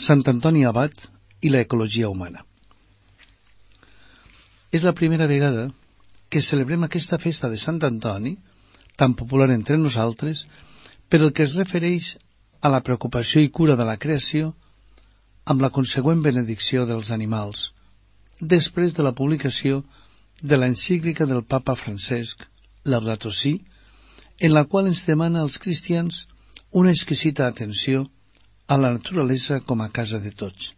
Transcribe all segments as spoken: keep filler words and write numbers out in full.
Sant Antoni Abat i l'ecologia humana. És la primera vegada que celebrem aquesta festa de Sant Antoni, tan popular entre nosaltres, per el que es refereix a la preocupació i cura de la creació amb la consegüent benedicció dels animals, després de la publicació de l'encíclica del Papa Francesc, Laudato Si, en la qual ens demana als cristians una exquisita atenció a la naturalesa com a casa de tots.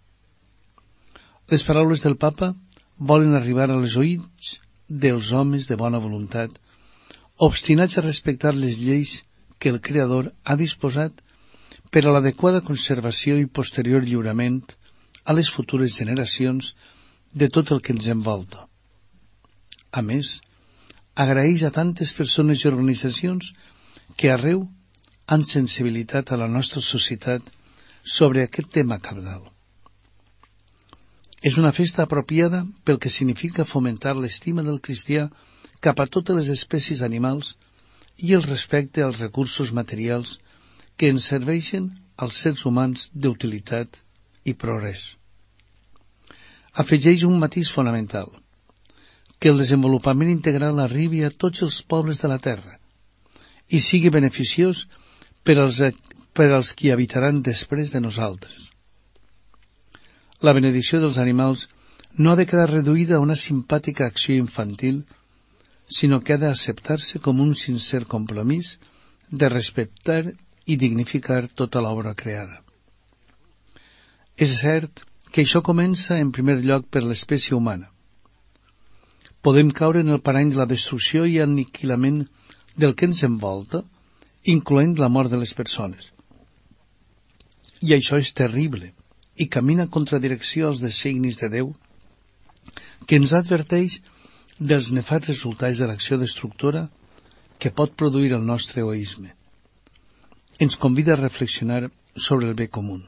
Les paraules del Papa volen arribar a les oïts dels homes de bona voluntat, obstinats a respectar les lleis que el Creador ha disposat per a l'adequada conservació i posterior lliurament a les futures generacions de tot el que ens envolta. A més, agraeix a tantes persones i organitzacions que arreu han sensibilitat a la nostra societat sobre aquest tema cabdal. És una festa apropiada pel que significa fomentar l'estima del cristià cap a totes les espècies animals i el respecte als recursos materials que ens serveixen als sers humans d'utilitat i progrés. Afegeix un matís fonamental, que el desenvolupament integral arribi a tots els pobles de la terra i sigui beneficiós per als, per als qui habitaran després de nosaltres. La benedicció dels animals no ha de quedar reduïda a una simpàtica acció infantil, sinó que ha d'acceptar-se com un sincer compromís de respectar i dignificar tota l'obra creada. És cert que això comença en primer lloc per l'espècie humana. Podem caure en el parany de la destrucció i aniquilament del que ens envolta, incloent la mort de les persones. I això és terrible i camina contra direcció als designis de Déu, que ens adverteix dels nefats resultats de l'acció destructora que pot produir el nostre egoisme. Ens convida a reflexionar sobre el bé comú.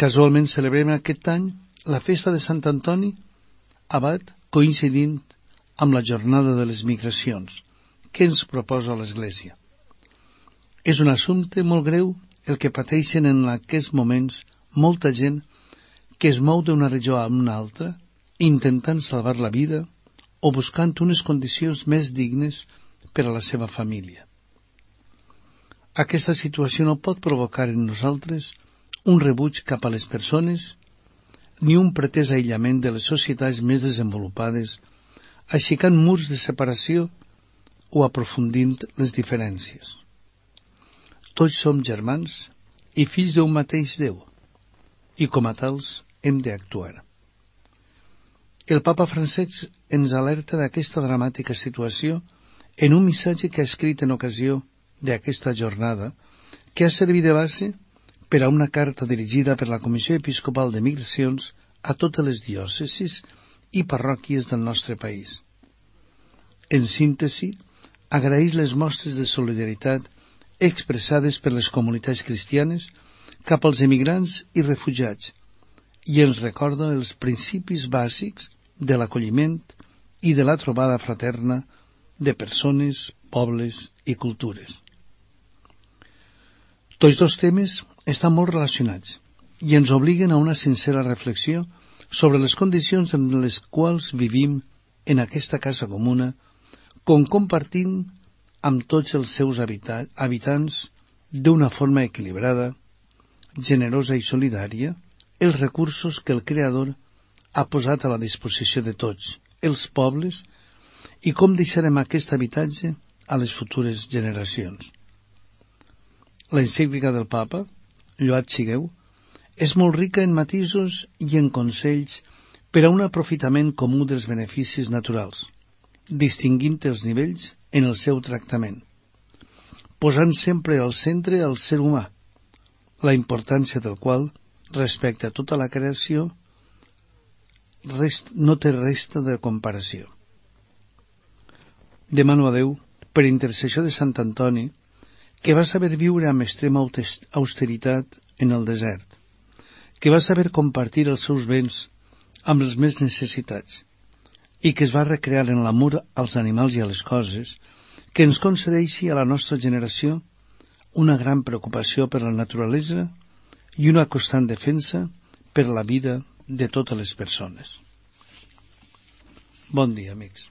Casualment celebrem aquest any la festa de Sant Antoni Abat, coincidint amb la jornada de les migracions que ens proposa l'Església. És un assumpte molt greu el que pateixen en aquests moments molta gent que es mou d'una regió a una altra intentant salvar la vida o buscant unes condicions més dignes per a la seva família. Aquesta situació no pot provocar en nosaltres un rebuig cap a les persones ni un pretès aïllament de les societats més desenvolupades, aixecant murs de separació o aprofundint les diferències. Tots som germans i fills d'un mateix Déu, i com a tals hem d'actuar. El Papa Francesc ens alerta d'aquesta dramàtica situació en un missatge que ha escrit en ocasió d'aquesta jornada, que ha servit de base per a una carta dirigida per la Comissió Episcopal de Migracions a totes les diòcesis i parròquies del nostre país. En síntesi, agraeix les mostres de solidaritat expressades per les comunitats cristianes cap als emigrants i refugiats i ens recorda els principis bàsics de l'acolliment i de la trobada fraterna de persones, pobles i cultures. Tots dos temes estan molt relacionats i ens obliguen a una sincera reflexió sobre les condicions en les quals vivim en aquesta casa comuna, com compartint amb tots els seus habita- habitants d'una forma equilibrada, generosa i solidària, els recursos que el Creador ha posat a la disposició de tots, els pobles, i com deixarem aquest habitatge a les futures generacions. L'encíclica del Papa, Lloat sigueu, és molt rica en matisos i en consells per a un aprofitament comú dels beneficis naturals, distingint els nivells en el seu tractament, posant sempre al centre el ser humà, la importància del qual, respecte a tota la creació, rest, no té resta de comparació. Demano a Déu, per intercessió de Sant Antoni, que va saber viure amb extrema austeritat en el desert, que va saber compartir els seus béns amb els més necessitats i que es va recrear en l'amor als animals i a les coses, que ens concedeixi a la nostra generació una gran preocupació per la naturalesa i una constant defensa per la vida de totes les persones. Bon dia, amics.